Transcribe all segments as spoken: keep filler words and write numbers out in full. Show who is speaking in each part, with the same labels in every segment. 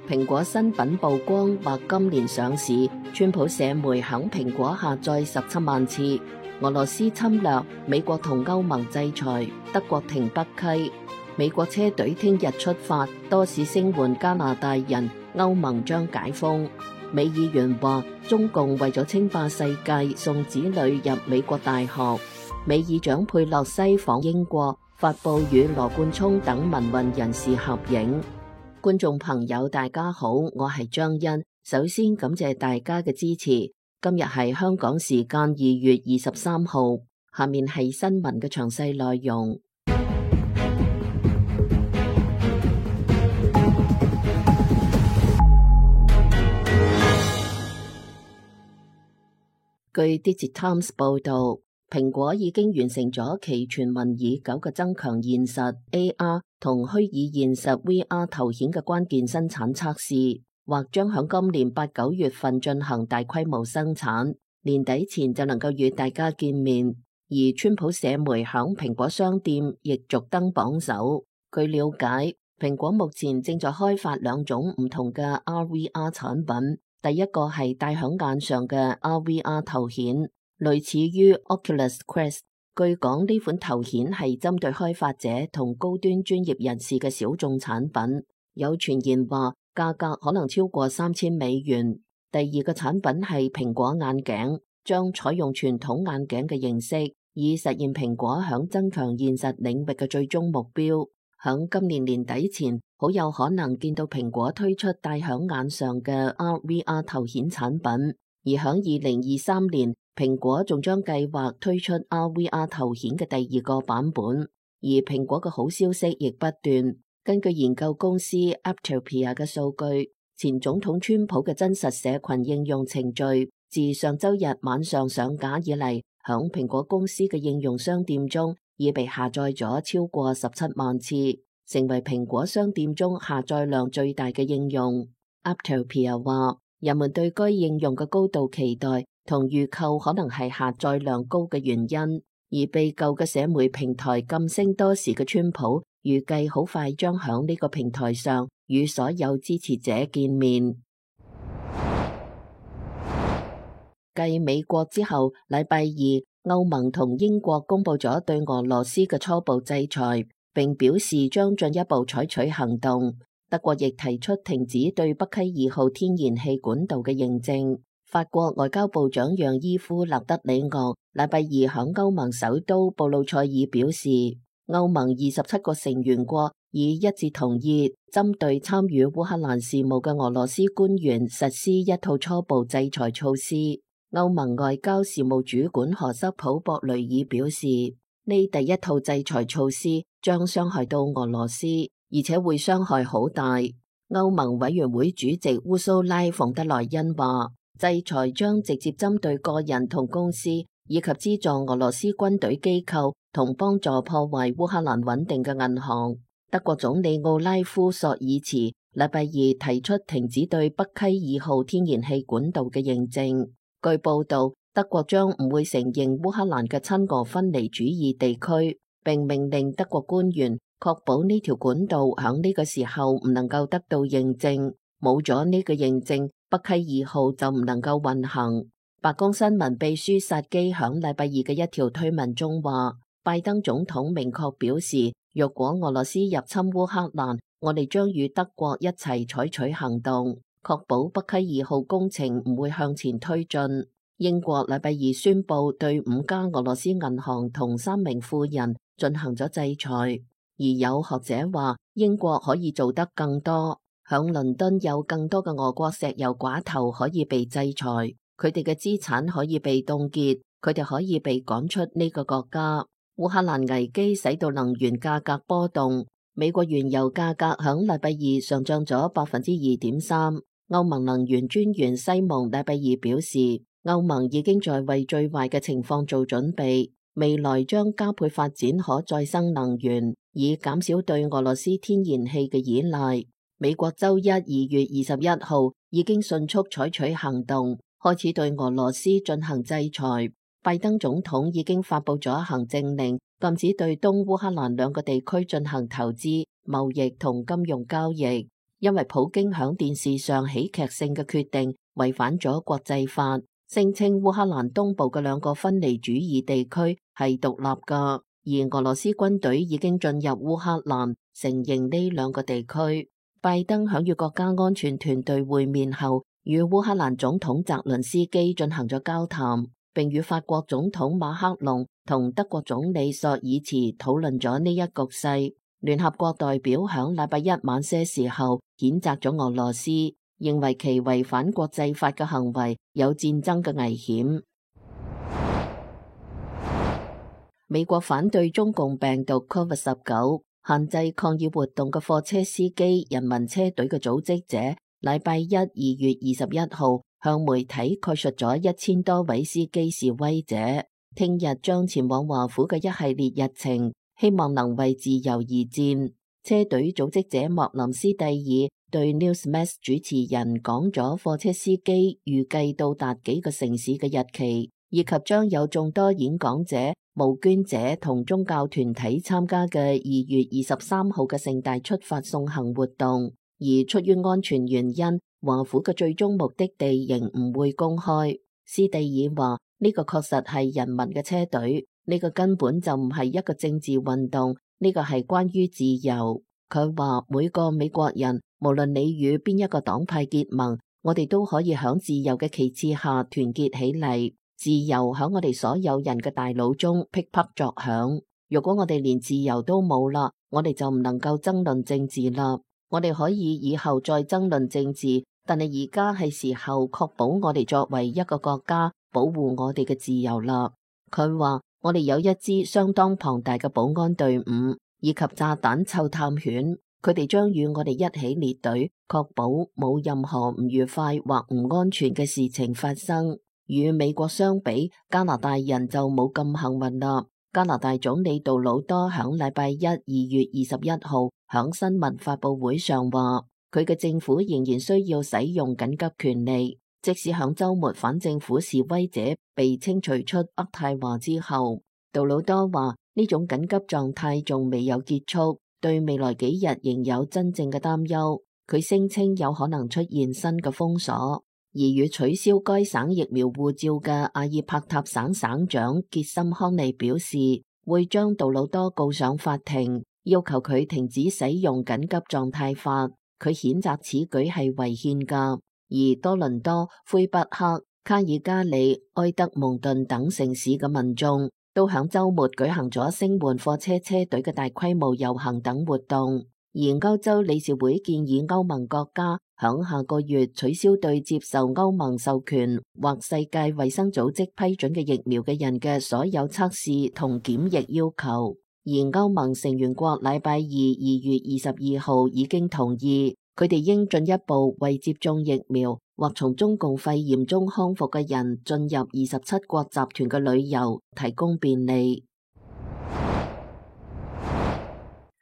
Speaker 1: 蘋果新品曝光，或今年上市。川普社媒響蘋果下載十七萬次。俄羅斯侵略，美國同歐盟制裁，德國停北溪。美國車隊聽日出發，多市聲援加拿大人。歐盟將解封。美議員話，中共為咗稱霸世界，送子女入美國大學。美議長佩洛西訪英國，發布與羅冠聰等民運人士合影。觀眾朋友大家好，我係張欣，首先感謝大家嘅支持。今日係香港時間二月二十三號，下面係新聞嘅詳細內容。據 Digitimes 報道，蘋果已經完成咗其傳聞已久嘅增強現實 A R 同虛擬現實 V R 頭顯嘅關鍵生產測試，或將響今年八九月份進行大規模生產，年底前就能夠與大家見面。而川普社媒響蘋果商店亦續登榜首。據了解，蘋果目前正在開發兩種唔同嘅 R V R 產品。第一個係戴響眼上嘅 R V R 頭顯，類似於 Oculus Quest。據講呢款頭顯係針對開發者同高端專業人士嘅小眾產品，有傳言話價格可能超過三千美元。第二個產品係蘋果眼鏡，將採用傳統眼鏡嘅形式，以實現蘋果響增強現實領域嘅最終目標。響今年年底前，好有可能見到蘋果推出戴響眼上嘅 R V R 頭顯產品，而響二零二三年，蘋果仲將計劃推出 R V R 頭顯嘅第二個版本。而蘋果嘅好消息亦不斷。根據研究公司 Apptopia 嘅數據，前總統川普嘅真實社群應用程序自上周日晚上上架以嚟，響蘋果公司嘅應用商店中已被下載咗超過十七萬次，成為蘋果商店中下載量最大嘅應用。Apptopia 話，人們對該應用嘅高度期待同預購可能係下載量高嘅原因。而被舊嘅社媒平台禁聲多時嘅川普，預計好快將響呢個平台上與所有支持者見面。繼美國之後，禮拜二，歐盟同英國公布咗對俄羅斯嘅初步制裁，並表示將進一步採取行動。德國亦提出停止對北溪二號天然氣管道嘅認證。法國外交部長讓伊夫勒德里昂禮拜二響歐盟首都布魯塞爾表示，歐盟二十七個成員國已一致同意針對參與烏克蘭事務嘅俄羅斯官員實施一套初步制裁措施。歐盟外交事務主管何塞普博雷爾表示，呢第一套制裁措施將傷害到俄羅斯，而且會傷害好大。歐盟委員會主席烏蘇拉馮德萊恩話，制裁將直接針對個人同公司，以及資助俄羅斯軍隊機構同幫助破壞烏克蘭穩定嘅銀行。德國總理奧拉夫索爾茨禮拜二提出停止對北溪二號天然氣管道嘅認證。據報道，德國將唔會承認烏克蘭嘅親俄分離主義地區，並命令德國官員確保呢條管道響呢個時候唔能夠得到認證。冇咗呢個認證，北溪二號就唔能夠運行。白宮新聞秘書薩基響禮拜二嘅一條推文中話，拜登總統明確表示，若果俄羅斯入侵烏克蘭，我哋將與德國一齊採取行動，確保北溪二號工程唔會向前推進。英國禮拜二宣布對五家俄羅斯銀行同三名富人進行咗制裁，而有學者話英國可以做得更多。響倫敦有更多嘅俄國石油寡頭可以被制裁，佢哋嘅資產可以被凍結，佢哋可以被趕出呢個國家。烏克蘭危機使到能源價格波動，美國原油價格響禮拜二上漲咗百分之二點三。歐盟能源專員西蒙禮拜二表示，歐盟已經在為最壞嘅情況做準備，未來將加倍發展可再生能源，以減少對俄羅斯天然氣嘅依賴。美國周一二月二十一號已經迅速採取行動，開始對俄羅斯進行制裁。拜登總統已經發布咗行政令，禁止對東烏克蘭兩個地區進行投資、貿易同金融交易。因為普京響電視上喜劇性嘅決定違反咗國際法，聲稱烏克蘭東部嘅兩個分離主義地區係獨立噶，而俄羅斯軍隊已經進入烏克蘭，承認呢兩個地區。拜登響與國家安全團隊會面後，與烏克蘭總統澤倫斯基進行咗交談，並與法國總統馬克龍同德國總理朔爾茨討論咗呢一局勢。聯合國代表響禮拜一晚些時候譴責咗俄羅斯，認為其違反國際法嘅行為有戰爭嘅危險。美國反對中共病毒 Covid 十九，限制抗議活動嘅貨車司機人民車隊嘅組織者，禮拜一二月二十一號向媒體概述咗一千多位司機示威者聽日將前往華府嘅一系列日程，希望能為自由而戰。車隊組織者莫林斯蒂爾對 Newsmax 主持人講咗貨車司機預計到達幾個城市嘅日期，以及將有眾多演講者、募捐者同宗教團體參加嘅二月二十三號嘅盛大出發送行活動。而出於安全原因，華府嘅最終目的地仍唔會公開。斯蒂爾話：呢個確實係人民嘅車隊，呢個根本就唔係一個政治運動，呢個係關於自由。佢話每個美國人，無論你與邊一個黨派結盟，我哋都可以響自由嘅旗幟下團結起嚟。自由響我哋所有人嘅大腦中噼啪作響。如果我哋連自由都冇啦，我哋就唔能夠爭論政治啦。我哋可以以後再爭論政治，但係而家係時候確保我哋作為一個國家保護我哋嘅自由啦。佢話我哋有一支相當龐大嘅保安隊伍，以及炸彈嗅探犬，佢哋將與我哋一起列隊，確保冇任何唔愉快或唔安全嘅事情發生。與美國相比，加拿大人就冇咁幸運啦。加拿大總理杜魯多響禮拜一二月二十一號響新聞發佈會上話，佢嘅政府仍然需要使用緊急權利，即使響周末反政府示威者被清除出渥太華之後。杜魯多話呢種緊急狀態仲未有結束，對未來幾日仍有真正嘅擔憂。佢聲稱有可能出現新嘅封鎖。而與取消該省疫苗護照嘅阿爾伯塔省省長傑森康利表示，會將杜魯多告上法庭，要求佢停止使用緊急狀態法。佢譴責此舉係違憲噶。而多倫多、魁北克、卡爾加里、埃德蒙頓等城市嘅民眾都響周末舉行咗聲援貨車車隊嘅大規模遊行等活動。而歐洲理事會建議歐盟國家響下個月取消對接受歐盟授權或世界衛生組織批准嘅疫苗嘅人嘅所有測試同檢疫要求。而歐盟成員國禮拜二二月二十二號已經同意，佢哋應進一步為接種疫苗或從中共肺炎中康復嘅人進入二十七國集團嘅旅遊提供便利。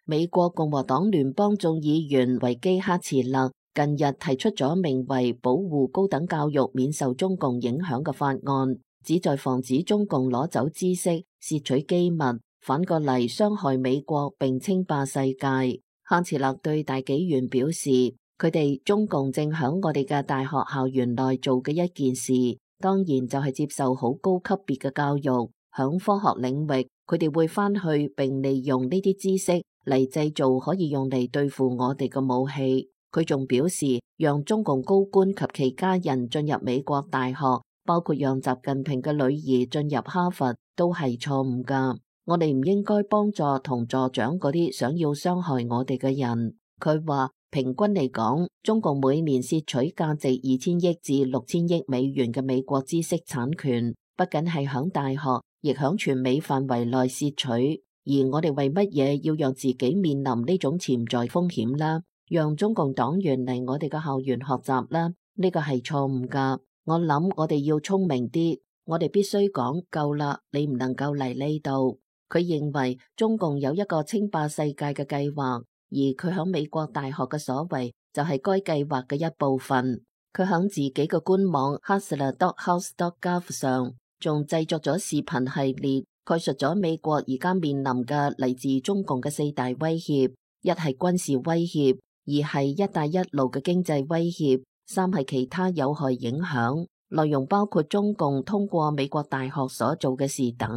Speaker 1: 美國共和黨聯邦眾議員維基克茨勒近日提出咗名為保護高等教育免受中共影響嘅法案，旨在防止中共攞走知識、竊取機密，反過嚟傷害美國並稱霸世界。克茨勒對大紀元表示，佢哋中共正響我哋嘅大學校園內做嘅一件事，當然就係接受好高級別嘅教育。響科學領域，佢哋會翻去並利用呢啲知識嚟製造可以用嚟對付我哋嘅武器。佢仲表示，讓中共高官及其家人進入美國大學，包括讓習近平嘅女兒進入哈佛，都係錯誤噶。我哋唔應該幫助同助長嗰啲想要傷害我哋嘅人。佢話，平均嚟講，中共每年竊取價值二千億至六千億美元嘅美國知識產權，不僅係響大學，亦響全美範圍內竊取。而我哋為乜嘢要讓自己面臨呢種潛在風險啦？讓中共黨員嚟我哋嘅校園學習啦？呢個係錯誤噶。我諗我哋要聰明啲，我哋必須講夠啦，你唔能夠嚟呢度。佢認為中共有一個稱霸世界嘅計劃，而佢響美國大學嘅所為就係該計劃嘅一部分。佢響自己嘅官網 hustler dot house dot gov 上仲製作咗視頻系列，概述咗美國而家面臨嘅嚟自中共嘅四大威脅：一係軍事威脅，二係一帶一路嘅經濟威脅，三係其他有害影響，內容包括中共通過美國大學所做嘅事等。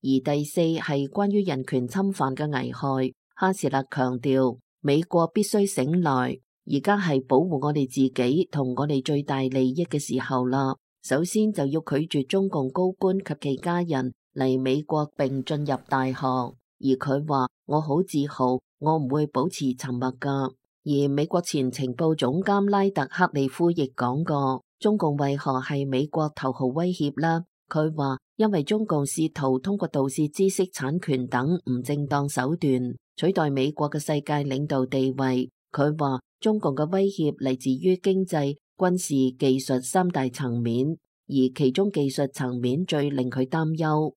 Speaker 1: 而第四係關於人權侵犯嘅危害。哈斯勒強調，美國必須醒來，而家係保護我哋自己同我哋最大利益嘅時候啦。首先就要拒絕中共高官及其家人嚟美國並進入大學。而佢話：我好自豪，我唔會保持沉默㗎。而美國前情報總監拉特克利夫亦講過，中共為何係美國頭號威脅啦？佢話：因為中共試圖通過盜竊知識產權等唔正當手段取代美國嘅世界領導地位。佢話中共嘅威脅嚟自於經濟、軍事、技術三大層面，而其中技術層面最令佢擔憂。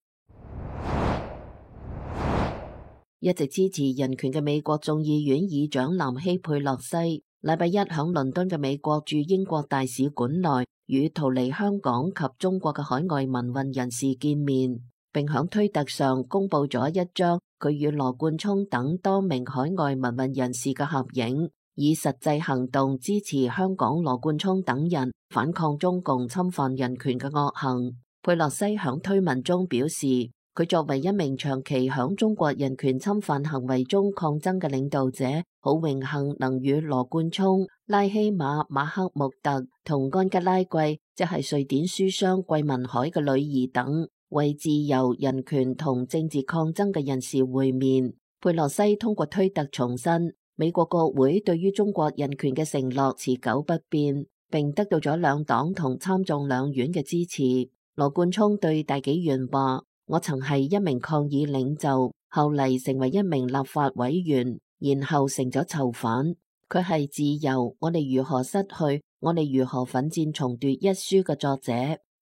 Speaker 1: 一直支持人權嘅美國眾議院議長南希佩洛西，禮拜一響倫敦嘅美國駐英國大使館內與逃離香港及中國嘅海外民運人士見面，並響推特上公布咗一張佢與羅冠聰等多名海外民運人士嘅合影，以實際行動支持香港羅冠聰等人反抗中共侵犯人權嘅惡行。佩洛西響推文中表示，佢作為一名長期響中國人權侵犯行為中抗爭嘅領導者，好榮幸能與羅冠聰、拉希馬、馬克穆特同安吉拉貴，即係瑞典書商桂民海嘅女兒等，為自由、人權同政治抗爭嘅人士會面。佩洛西通過推特重申，美國國會對於中國人權嘅承諾持久不變，並得到咗兩黨同參眾兩院嘅支持。羅冠聰對大紀元話：我曾係一名抗議領袖，後嚟成為一名立法委員，然後成咗囚犯。佢係自由，我哋如何失去，我哋如何奮戰重奪一書嘅作者。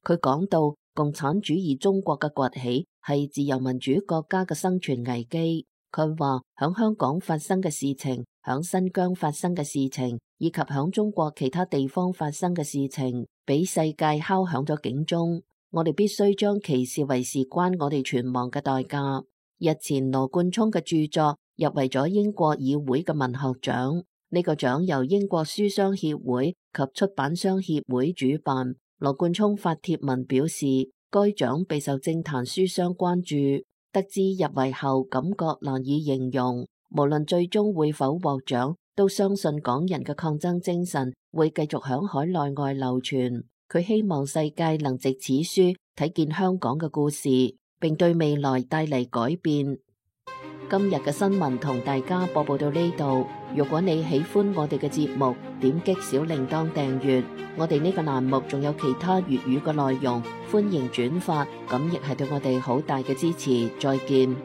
Speaker 1: 佢講到共產主義中國嘅崛起係自由民主國家嘅生存危機。佢話響香港發生嘅事情，響新疆發生嘅事情，以及響中國其他地方發生嘅事情，俾世界敲響咗警鐘。我哋必須將其視為事關我哋存亡嘅代價。日前羅冠聰嘅著作入圍咗英國議會嘅文學獎，呢個獎由英國書商協會及出版商協會主辦。羅冠聰發帖文表示，該獎備受政壇書商關注，得知入圍後感覺難以形容。無論最終會否獲獎，都相信港人嘅抗爭精神會繼續響海內外流傳。佢希望世界能藉此書睇見香港嘅故事，並對未來帶嚟改變。今日嘅新聞同大家播報到呢度。如果你喜歡我哋嘅節目，點擊小鈴鐺訂閱。我哋呢個欄目仲有其他粵語嘅內容，歡迎轉發，咁亦係對我哋好大嘅支持。再見。